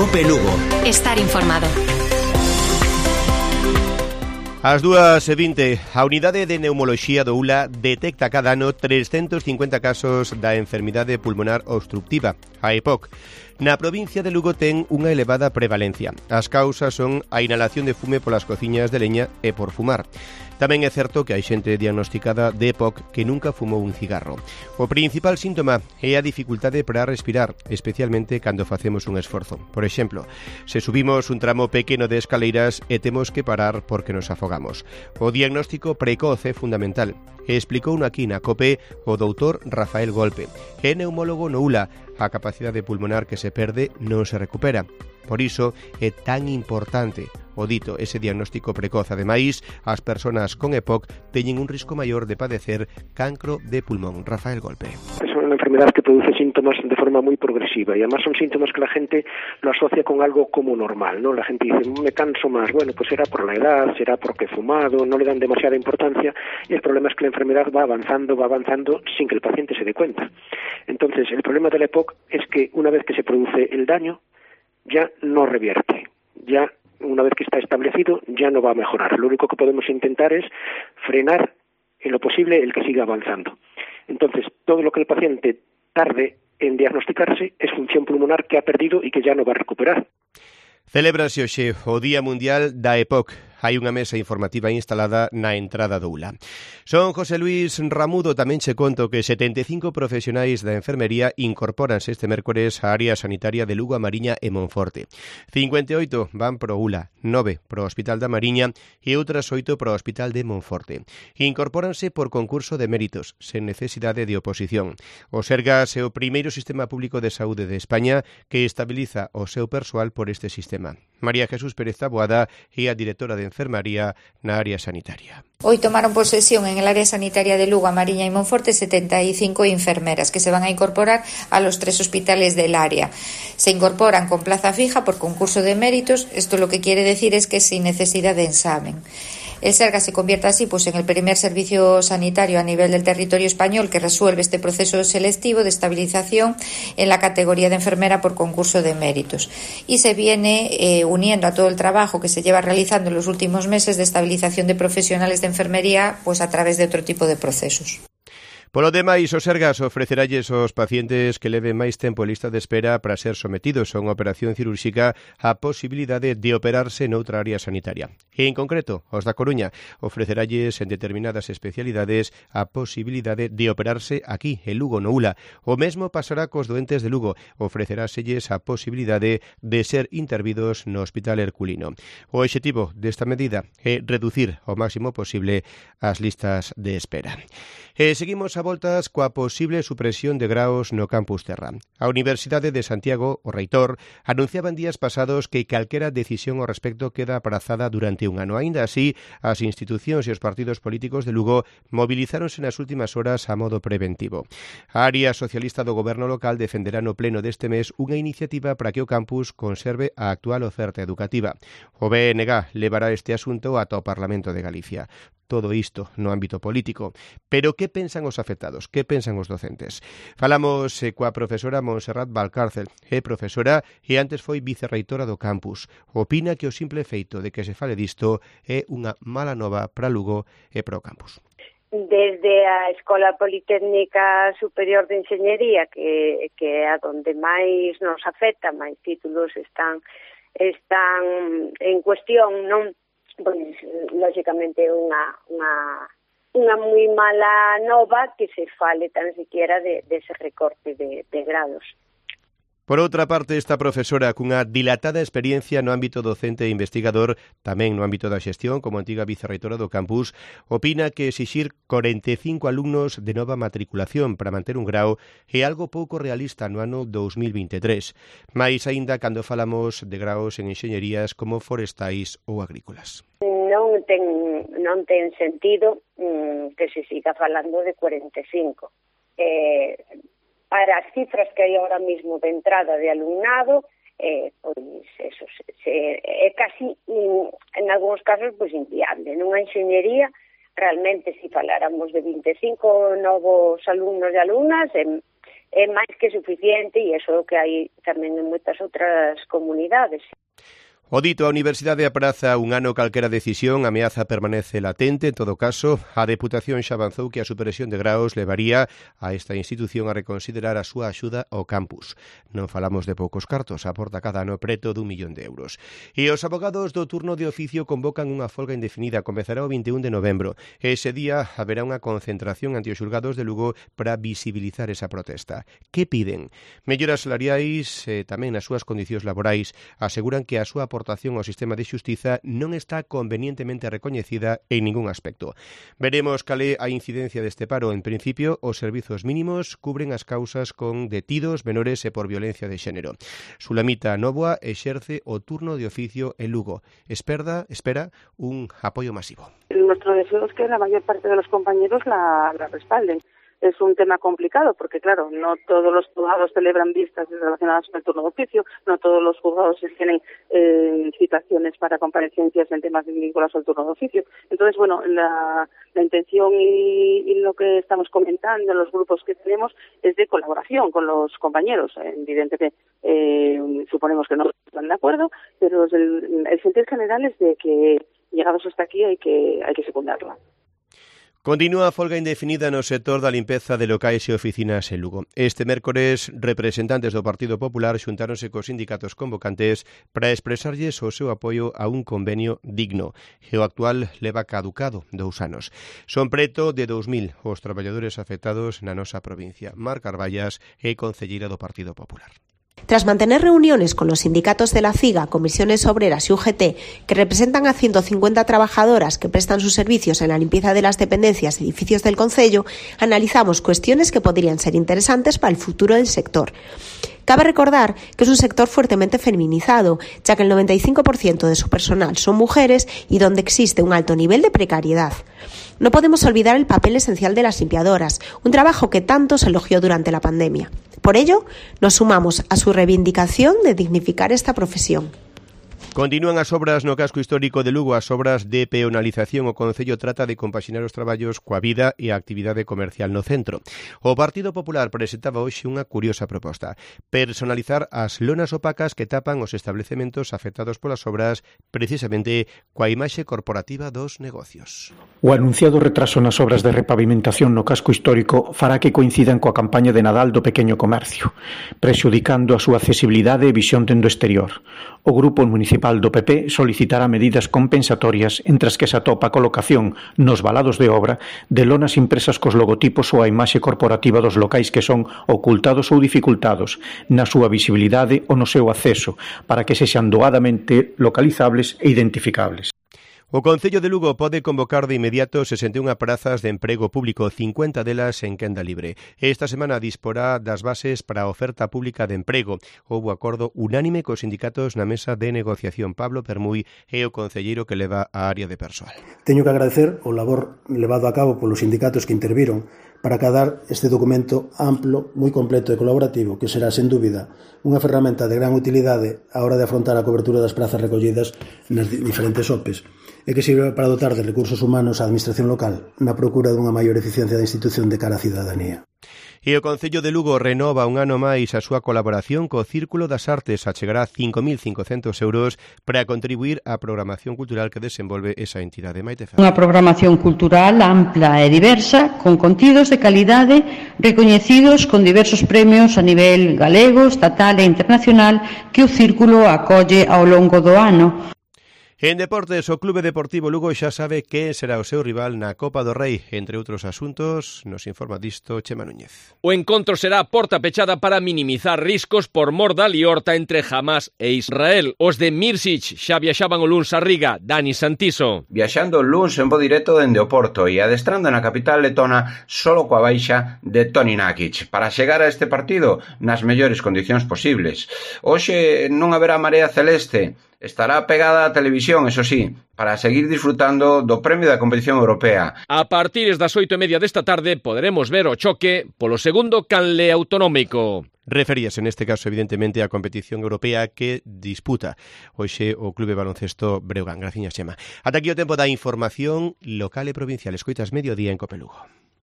COPE Lugo. Estar informado. Ás 2:20, a Unidade de Neumoloxía do ULA detecta cada ano 350 casos da enfermidade pulmonar obstructiva, a EPOC. Na provincia de Lugo ten unha elevada prevalencia. As causas son a inhalación de fume polas cociñas de leña e por fumar. Tamén é certo que hai xente diagnosticada de EPOC que nunca fumou un cigarro. O principal síntoma é a dificultade para respirar, especialmente cando facemos un esforzo. Por exemplo, se subimos un tramo pequeno de escaleiras e temos que parar porque nos afogamos. O diagnóstico precoz é fundamental. Explicouno aquí na COPE o doutor Rafael Golpe. É neumólogo no ULA. A capacidade pulmonar que se perde non se recupera. Por iso é tan importante o dito ese diagnóstico precoz. Ademais, as persoas con EPOC teñen un risco maior de padecer cancro de pulmón. Rafael Golpe. Es una enfermedad que produce síntomas de forma muy progresiva y además son síntomas que la gente lo asocia con algo como normal, ¿no? La gente dice, me canso más, bueno, pues será por la edad, será porque he fumado, no le dan demasiada importancia y el problema es que la enfermedad va avanzando sin que el paciente se dé cuenta. Entonces, el problema de la EPOC es que una vez que se produce el daño, ya no revierte, ya una vez que está establecido, ya no va a mejorar. Lo único que podemos intentar es frenar en lo posible el que siga avanzando. Entonces, todo lo que el paciente tarde en diagnosticarse es función pulmonar que ha perdido y que ya no va a recuperar. Celébrase hoxe o Día Mundial da EPOC. Hai unha mesa informativa instalada na entrada do ULA. Son José Luis Ramudo, tamén che conto que 75 profesionais da enfermería incorpóranse este mércores á área sanitaria de Lugo, a Mariña e Monforte. 58 van pro ULA, 9 pro Hospital da Mariña e outras 8 pro Hospital de Monforte. Incorpóranse por concurso de méritos, sen necesidade de oposición. O Sergas é o primeiro sistema público de saúde de España que estabiliza o seu persoal por este sistema. María Jesús Pérez Taboada é a directora de enfermería na área sanitaria. Hoy tomaron posesión en el área sanitaria de Lugo, a Mariña y Monforte 75 enfermeras que se van a incorporar a los 3 hospitales del área. Se incorporan con plaza fija por concurso de méritos. Esto lo que quiere decir es que sin necesidad de examen. El Sergas se convierte así en el primer servicio sanitario a nivel del territorio español que resuelve este proceso selectivo de estabilización en la categoría de enfermera por concurso de méritos y se viene uniendo a todo el trabajo que se lleva realizando en los últimos meses de estabilización de profesionales de enfermería a través de otro tipo de procesos. Polo demais, o Sergas ofreceralles aos pacientes que leven máis tempo en lista de espera para ser sometidos a unha operación cirúrxica a posibilidade de operarse noutra área sanitaria. E, en concreto, aos da Coruña ofreceralles en determinadas especialidades a posibilidade de operarse aquí, en Lugo, no ULA. O mesmo pasará cos doentes de Lugo, ofreceráselles a posibilidade de ser intervidos no Hospital Herculino. O obxectivo desta medida é reducir ao máximo posible as listas de espera. E seguimos a voltas coa posible supresión de graos no campus Terra. A Universidade de Santiago, o reitor, anunciaba en días pasados que calquera decisión ao respecto queda aprazada durante un ano. Aínda así, as institucións e os partidos políticos de Lugo mobilizáronse nas últimas horas a modo preventivo. A área socialista do goberno local defenderá no pleno deste mes unha iniciativa para que o campus conserve a actual oferta educativa. O BNG levará este asunto ata o Parlamento de Galicia. Todo isto no ámbito político. Pero que pensan os afectados? Que pensan os docentes? Falamos coa profesora Montserrat Valcárcel. É profesora e antes foi vicerreitora do campus. Opina que o simple feito de que se fale disto é unha mala nova para Lugo e para o campus. Desde a Escola Politécnica Superior de Enxeñería, que é a donde máis nos afecta, máis títulos están en cuestión, non? Pois, lógicamente, unha moi mala nova que se fale tan siquiera dese recorte de grados. Por outra parte, esta profesora cunha dilatada experiencia no ámbito docente e investigador, tamén no ámbito da xestión, como antiga vicerreitora do campus, opina que exixir 45 alumnos de nova matriculación para manter un grao é algo pouco realista no ano 2023, máis aínda cando falamos de graos en enxeñerías como forestais ou agrícolas. Non ten sentido que se siga falando de 45. Para as cifras que hai ahora mismo de entrada de alumnado, pois eso é casi, en algúns casos, pois inviable. Nunha enxeñería, realmente, se faláramos de 25 novos alumnos e alumnas, é máis que suficiente e iso é o que hai tamén en moitas outras comunidades. O dito, a Universidade apraza un ano calquera decisión, a ameaza permanece latente. En todo caso, a Deputación xa avanzou que a supresión de graos levaría a esta institución a reconsiderar a súa axuda ao campus. Non falamos de poucos cartos, aporta cada ano preto d'1 millón de euros. E os abogados do turno de oficio convocan unha folga indefinida, comezará o 21 de novembro. Ese día haberá unha concentración ante os xulgados de Lugo para visibilizar esa protesta. Que piden? Melloras salariais, tamén nas súas condicións laborais. Aseguran que a súa aportación ao sistema de xustiza non está convenientemente recoñecida en ningún aspecto. Veremos cal é a incidencia deste paro. En principio, os servizos mínimos cubren as causas con detidos menores e por violencia de xénero. Sulamita Novoa exerce o turno de oficio en Lugo. Espera un apoio masivo. Nuestro deseo es que la mayor parte de los compañeros la respalden. Es un tema complicado porque, claro, no todos los juzgados celebran vistas relacionadas con el turno de oficio, no todos los juzgados tienen citaciones para comparecencias en temas vinculados al turno de oficio. Entonces, bueno, la intención y lo que estamos comentando en los grupos que tenemos es de colaboración con los compañeros. Evidentemente, suponemos que no están de acuerdo, pero el sentir general es de que, llegados hasta aquí, hay que secundarla. Continúa a folga indefinida no sector da limpeza de locais e oficinas en Lugo. Este mércores, representantes do Partido Popular xuntáronse cos sindicatos convocantes para expresarlles o seu apoio a un convenio digno. E o actual leva caducado 2 anos. Son preto de 2.000 os traballadores afectados na nosa provincia. Mar Carballas é concelleira do Partido Popular. Tras mantener reuniones con los sindicatos de la CIGA, comisiones obreras y UGT, que representan a 150 trabajadoras que prestan sus servicios en la limpieza de las dependencias y edificios del concello, analizamos cuestiones que podrían ser interesantes para el futuro del sector. Cabe recordar que es un sector fuertemente feminizado, ya que el 95% de su personal son mujeres y donde existe un alto nivel de precariedad. No podemos olvidar el papel esencial de las limpiadoras, un trabajo que tanto se elogió durante la pandemia. Por ello, nos sumamos a su reivindicación de dignificar esta profesión. Continúan as obras no casco histórico de Lugo, as obras de peonalización. O Concello trata de compaxinar os traballos coa vida e a actividade comercial no centro. O Partido Popular presentaba hoxe unha curiosa proposta: personalizar as lonas opacas que tapan os establecementos afectados polas obras, precisamente coa imaxe corporativa dos negocios. O anunciado retraso nas obras de repavimentación no casco histórico fará que coincidan coa campaña de Nadal do pequeno comercio, prexudicando a súa accesibilidade e visión dende o exterior. O Grupo Municipal do PP solicitará medidas compensatorias entre as que se atopa a colocación nos valados de obra de lonas impresas cos logotipos ou a imaxe corporativa dos locais que son ocultados ou dificultados na súa visibilidade ou no seu acceso para que sexan doadamente localizables e identificables. O Concello de Lugo pode convocar de inmediato 61 prazas de emprego público, 50 delas en quenda libre. Esta semana disporá das bases para a oferta pública de emprego. Houbo acordo unánime cos sindicatos na mesa de negociación. Pablo Permuy é o concelleiro que leva a área de persoal. Teño que agradecer o labor levado a cabo polos sindicatos que interviron para acadar este documento amplo, moi completo e colaborativo, que será, sen dúbida, unha ferramenta de gran utilidade á hora de afrontar a cobertura das prazas recollidas nas diferentes OPEs, e que sirve para dotar de recursos humanos a administración local na procura dunha maior eficiencia da institución de cara á cidadanía. E o Concello de Lugo renova un ano máis a súa colaboración co Círculo das Artes. Achegará 5.500 euros para contribuir á programación cultural que desenvolve esa entidade. Maite Ferrer. Unha programación cultural ampla e diversa, con contidos de calidade recoñecidos con diversos premios a nivel galego, estatal e internacional que o Círculo acolle ao longo do ano. En deportes, o Clube Deportivo Lugo xa sabe que será o seu rival na Copa do Rei. Entre outros asuntos, nos informa disto Chema Núñez. O encontro será a porta pechada para minimizar riscos por mor da liorta entre Hamas e Israel. Os de Mirsic xa viaxaban o luns a Riga. Dani Santiso. Viaxando o luns en bo directo dende o Porto e adestrando na capital letona solo coa baixa de Toni Nakic para chegar a este partido nas mellores condicións posibles. Hoxe non haberá marea celeste. Estará pegada á televisión, eso sí, para seguir disfrutando do premio da competición europea. A partir das 8:30 desta tarde poderemos ver o choque polo segundo canle autonómico. Referíase neste caso evidentemente á competición europea que disputa hoxe o Clube Baloncesto Breogán. Graciñas, Xema. Ata aquí o tempo da información local e provincial. Escoitas Mediodía en Cope Lugo.